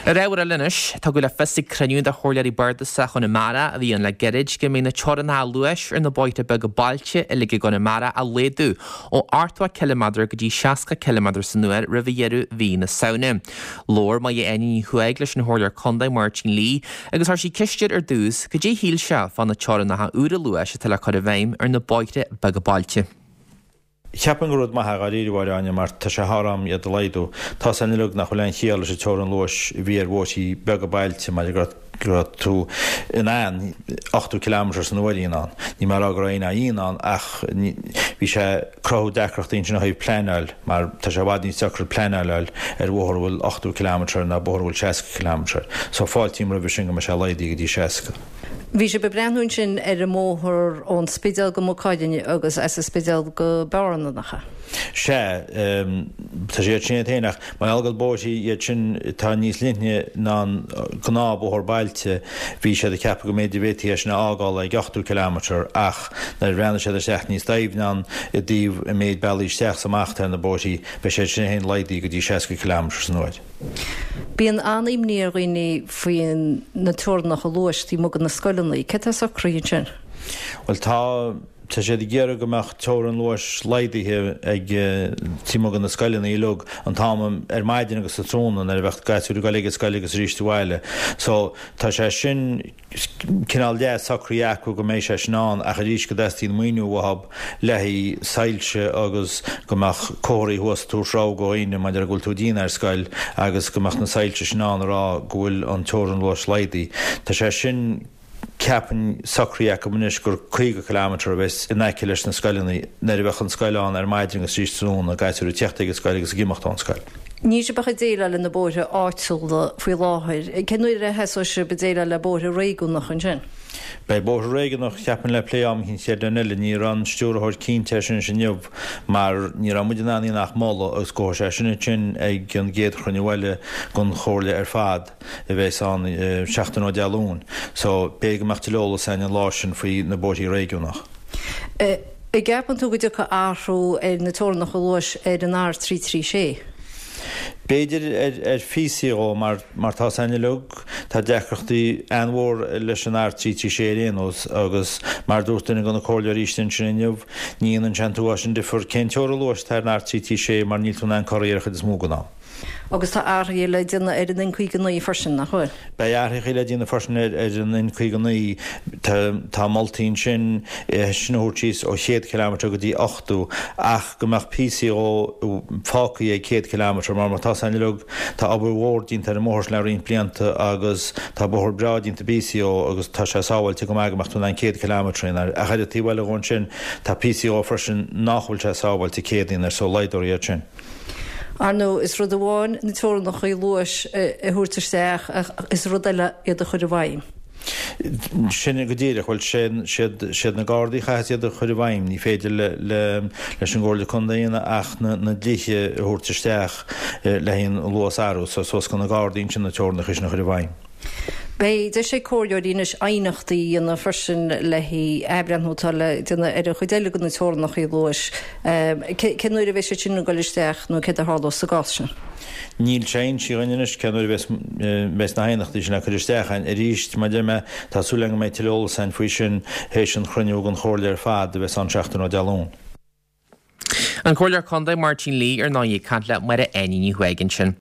Ar ábhar eile anois, tugadh le fios ag cruinniú de Chomhairleoirí Bardasach Chonamara a bhí ann le gairid go mbeidh na teorainneacha luais ar na bóithre beaga bailte uilig i gConamara á laghdú ó 80 ciliméadar go dtí 60 ciliméadar san uair roimh dheireadh mhí na Samhna. Labhair Máire Áine Ní Chuaig leis an Chomhairleoir Contae Máirtín Lee agus chuir sí ceist air ar dtús cad é shíl sé fá na teorainneacha úra luais atá le cur i bhfeidhm ar na bóithre beaga bailte. Cheapfainn gur rud maith é dháiríre, a Mháire Áine, mar tá sé thar am iad a laghdú. Tá's a'inn uilig nach bhfuil aon chiall leis an teorainn luais a bhí ar bhóithrí beaga bailte mar go raibh tú in ann 80 kilometre san uair a dhéanamh ann. Níl mé ag rá go raibh éinne á dhéanamh ann ach bhí sé ag cruthú deacrachtaí ansin ó thaobh pleanáil mar tá sé i bhfad níos deacra pleanáil a fháil ar bhóthar a bhfuil 80 kilometre air ná bóthar a bhfuil 60 kilometre air. So fáiltím roimhe sin go mbeidh sé laghdaithe go dtí 60. Bhí sibh ag breathnú ansin ar an mbóthar ón Spidéal go Maigh Cuilinn agus as an Spidéal go Bearna, nach ea? Sea, tá sé iad sin iad féin, ach mar gheall gur bóithrí iad sin atá níos leithne ná an gnáthbhóthar bailte, bhí siad ag ceapadh go mb'fhéidir bhféadfaí é sin a fhágáil ag 80 kilometre ach nuair a bhreathnaigh siad isteach níos doimhne ann i dtaobh an méid bealaí isteach is amach atá ar na bóithrí, beidh siad sin féin laghdaithe go dtí 60 kilometre san uair. Bíonn an-imní ar dhaoine faoi na teorainneacha luais taobh amuigh de na scoileanna. Céard atá socraithe ansin? Bhuel tá, tá siad ag iarraidh go mbeadh teorainn luais laghdaithe ag taobh amuigh de na scoileanna uilig an t-am ar maidin agus sa tráthnóna nuair a bheadh gasúir ag dul ag an scoil agus arís abhaile. So tá sé sin cineál leath socraithe acu go mbeidh sé sin ann ach arís go dteastaíonn maoiniú uathub le haghaidh soilse agus go mbeadh comharthaí thuas ag tabhairt rabhadh do dhaoine maidir le go bhfuil tú ag déanamh ar scoil agus go mbeadh na soilse sin ann a rá go bhfuil an teorainn luais laghdaithe. Tá sé sin ceapfainn socraithe acu anois gur 50 kilometre a bheas in aice leis na scoileanna nuair a bheadh an scoil ann ar maidin agus arís tráthnóna, gasúir ag teacht ag an scoil agus ag imeacht ón scoil. Níl sibh ach ag déileáil le na bóithre áitiúla faoi láthair. Cén uair a thosóidh sibh ag déileáil le bóithre réigiúnacha ansin? Beidh bóithre réigiúnach, cheapfainn, le plé am eicínt chéad bliain eile. Ní raibh an stiúrthóir cinnte air sin anois inniu mar ní raibh muid in ann ach moladh agus gabhfaidh sé sin ansin ag an gcéad chruinniú eile den chomhairle ar fad a bheas ann seachtain ó Dé Luain. So, b'fhéidir go mbeadh tuilleadh eolas againn an lá sin faoi na bóithrí réigiúnach. An gceapann tú go dtiocfaidh athrú ar na teorainneacha luais ar an R336? B'fhéidir ar phíosaí dhó mar mar tá's a'inn uilig tá deacrachtaí an-mhór leis an R336 ar aon nós agus mar dúirt duine de na comhairleoirí istigh ansin inniu ní dhéanann sé an t-uafás sin difear cén teorainn luais atá ar an R336 mar níl tú in ann corraí ar an chuid is mó den am. Agus tá athruithe le déanamh ar an N59 freisin, nach bhfuil? Beidh athruithe le déanamh freisin ar an N59. Tá moltaí ansin é sin a thabhairt síos ó 100 kilometre go dtí 80 ach go mbeadh píosaí dhó fágtha ag 100 kilometre mar má tá's a'inn uilig tá obair mhór déanta ar an mbóthar sin le roinnt blianta agus tá bóthar breá déanta píosaí dhó agus tá sé sábháilte go maith go mbeadh tú in ann 100 kilometre a dhéanamh air. Ach ar an taobh eile dhó ansin tá píosaí dhó freisin nach bhfuil sé sábháilte 100 a dhéanamh air so laghdófar iad sin. Ar ndóigh, is rud amháin na teorainneacha luais a thabhairt isteach ach is rud eile iad a chur i bhfeidhm. Sin go díreach. Bhuel, siad, siad na Gardaí a chaithfeas iad a chur i bhfeidhm. Ní féidir le, le, leis an gComhairle Contae a dhéanamh ach na, na dlíthe a thabhairt isteach le haghaidh an luas a athrú. So, suas go na Gardaí ansin na teorainneacha sin a chur i bhfeidhm. Beidh deis ag comhairleoirí anois aighneachtaí a dhéanamh freisin le haghaidh athbhreithniú atá le déanamh ar an chuid eile de na teorainneacha luais. Cén uair a bheidh siad sin ag dul isteach nó céard a tharlós sa gcás sin? Níl sé inste dhúinn anois cén uair a bheas na haighneachtaí sin le cur isteach againn. Arís, mar a deir mé, tá súil agam go mbeidh tuilleadh eolais againn faoi sin théis an chruinniú den Chomhairle ar fad a bheas ann seachtain ó Dé Luain. An Comhairleoir Contae Máirtín Lee ar ndóigh ag caint le Máire Áine Ní Chuaig ansin.